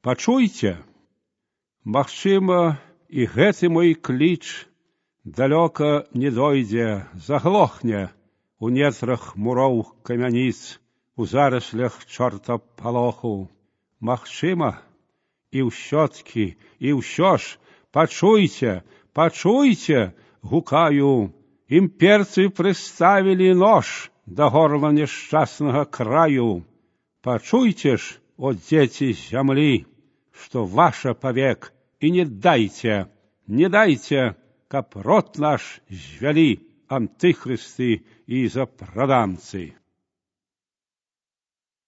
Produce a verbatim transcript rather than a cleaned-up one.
Пачуйце, магчыма, і гэты мой кліч далёка не дойдзе, заглохне у нетрах муроў камяніц, у зараслях чортапалоху. Магчыма, і ўсё-ткі, і ўсё ж, пачуйце, пачуйце, гукаю, імперцы прыставілі нож да горла няшчаснага краю. Пачуйце ж, о дзеці зямлі, што ваша павек, і не дайце, не дайце, каб род наш звялі антыхрысты і запрадамцы.